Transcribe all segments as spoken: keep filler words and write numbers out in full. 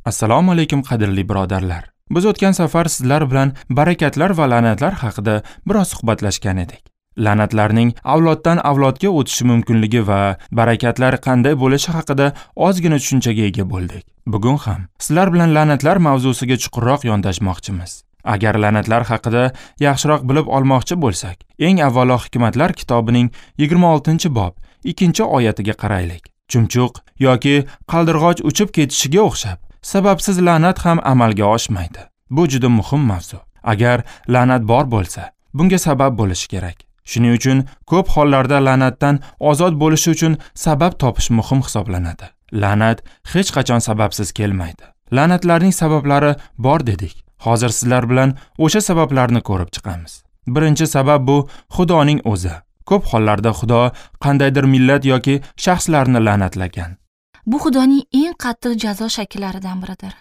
Assalomu alaykum qadrli birodarlar. Biz o'tgan safar sizlar bilan barakatlar va la'natlar haqida biroz suhbatlashgan edik. La'natlarning avloddan avlodga o'tishi mumkinligi va barakatlar qanday bo'lishi haqida ozgina tushunchaga ega bo'ldik. Bugun ham sizlar bilan la'natlar mavzusiga chuqurroq yondashmoqchimiz. Agar la'natlar haqida yaxshiroq bilib olmoqchi bo'lsak, eng avvalo Hikmatlar kitobining yigirma oltinchi bob ikkinchi oyatiga qaraylik. Chumchuq yoki qaldirg'och uchib ketishiga o'xshab, sababsiz la'nat ham amalga oshmaydi. Bu juda muhim mavzu. Agar la'nat bor bo'lsa, bunga sabab bo'lishi kerak. Shuning uchun ko'p hollarda la'natdan ozod bo'lish uchun sabab topish muhim hisoblanadi. La'nat hech qachon sababsiz kelmaydi. La'natlarning sabablari bor dedik. Hozir sizlar bilan o'sha sabablarni ko'rib chiqamiz. Birinchi sabab bu Xudoning o'zi. Ko'p hollarda Xudo qandaydir millat yoki shaxslarni la'natlagan. Bu Xudoning eng qattiq jazo shakllaridan biridir.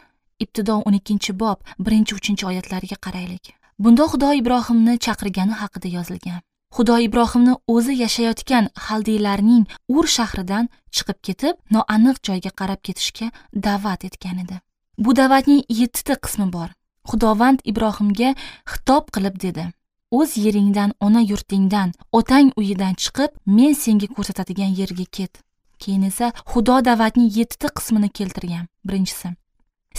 Ibtido o'n ikkinchi bob birinchi uchinchi oyatlarga qaraylik. Bunda Xudo Ibrohimni chaqirgani haqida yozilgan. Xudo Ibrohimni o'zi yashayotgan Xaldiylarning Ur shahridan chiqib ketib, noaniq joyga qarab ketishga da'vat etgan edi. Bu da'vatning yettita qismi bor. Xudovand Ibrohimga xitob qilib dedi: "O'z yeringdan, ona yurtingdan, otang uyidan chiqib, men senga ko'rsatadigan yerga ket." Keyin esa Xudo da'vatning yettita qismini keltirgan. Birinchisi: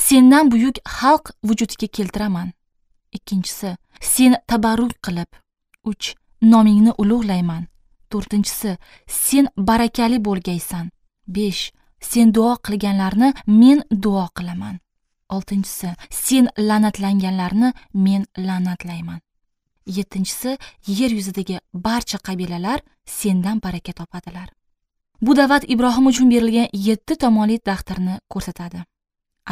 sendan buyuk xalq vujudga keltiraman. Ikkinchisi: sen tabarruk qilib. Uch: nomingni ulug'layman. To'rtinchisi: sen barakali bo'lgaysan. Besh: sen duo qilganlarni men duo qilaman. Oltinchisi: sen la'natlanganlarni men la'natlayman. Yettinchisi: yer yuzidagi barcha qabilalar sendan baraka topadilar. Bu da'vat Ibrohim uchun berilgan yetti tomonli daftarni ko'rsatadi.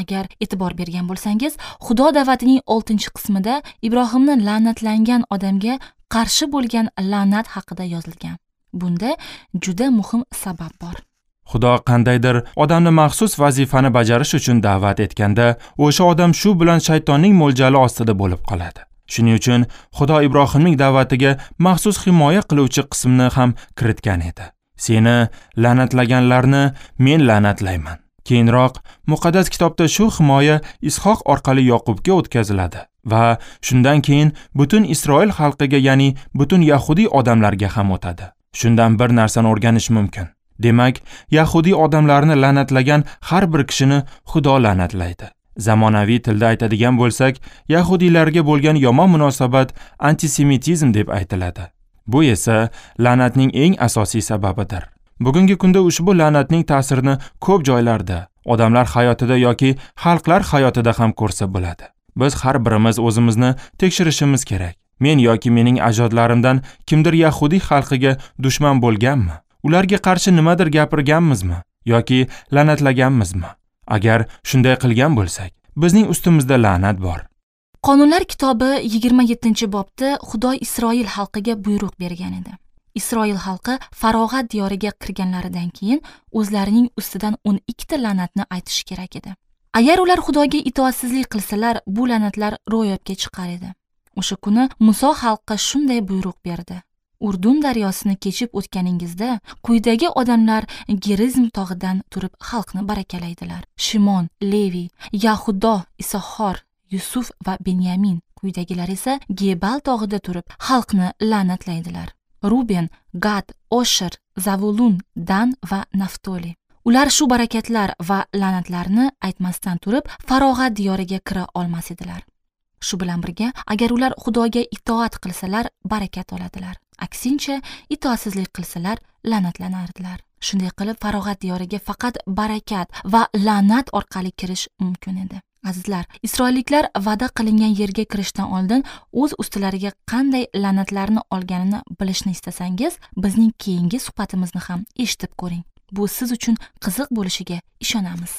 Agar e'tibor bergan bo'lsangiz, Xudo da'vatining oltinchi qismida Ibrohimni la'natlangan odamga qarshi bo'lgan la'nat haqida yozilgan. Bunda juda muhim sabab bor. Xudo qandaydir odamni maxsus vazifani bajarish uchun da'vat etganda, o'sha odam shu bilan shaytonning mo'ljali ostida bo'lib qoladi. Shuning uchun Xudo Ibrohimning da'vatiga maxsus himoya qiluvchi qismni ham kiritgan edi. Seni la'natlaganlarni men la'natlayman. Keyinroq muqaddas kitobda shu himoya Ishoq orqali Yoqubga o'tkaziladi va shundan keyin butun Isroil xalqiga, ya'ni butun yahudiy odamlarga ham o'tadi. Shundan bir narsani o'rganish mumkin. Demak, yahudiy odamlarni la'natlagan har bir kishini Xudo la'natlaydi. Zamonaviy tilda aytadigan bo'lsak, yahudiylarga bo'lgan yomon munosabat antisemitizm deb aytiladi. Bu esa la'natning eng asosiy sababidir. Bugungi kunda ushbu la'natning ta'sirini ko'p joylarda, odamlar hayotida yoki xalqlar hayotida ham ko'rsa bo'ladi. Biz har birimiz o'zimizni tekshirishimiz kerak. Men yoki mening ajdodlarimdan kimdir yahudiy xalqiga dushman bo'lganmi? Ularga qarshi nimadir gapirganmizmi yoki la'natlaganmizmi? Agar shunday qilgan bo'lsak, bizning ustimizda la'nat bor. Qonunlar kitobi yigirma yettinchi bobda Xudo Isroil xalqiga buyruq bergan edi. Isroil xalqi farog'at diyoriga kirganlaridan keyin o'zlarining ustidan o'n ikkita la'natni aytish kerak edi. Agar ular Xudoga itoatsizlik qilsalar, bu la'natlar ro'yobga chiqar edi. O'sha kuni Muso xalqqa shunday buyruq berdi: Urdun daryosini kechib o'tganingizda quyidagi odamlar Gerizm tog'idan turib xalqni barakalaydilar: Shimon, Levi, Yahudo, Isoxor, Yusuf va Benyamin. Quyidagilar esa Gebal tog'ida turib xalqni la'natlaydilar: Ruben, Gad, Osher, Zavulun, Dan va Naftoli. Ular shu barakatlar va la'natlarni aytmasdan turib farog'at diyoriga kira olmas edilar. Shu bilan birga, agar ular Xudoga itoat qilsalar, barakat oladilar. Aksincha, itoatsizlik qilsalar, la'natlanardilar. Shunday qilib, farog'at diyoriga faqat barakat va la'nat orqali kirish mumkin edi. Azizlar, isroilliklar va'da qilingan yerga kirishdan oldin o'z ustilariga qanday la'natlarni olganini bilishni istasangiz, bizning keyingi suhbatimizni ham eshitib ko'ring. Bu siz uchun qiziq bo'lishiga ishonamiz.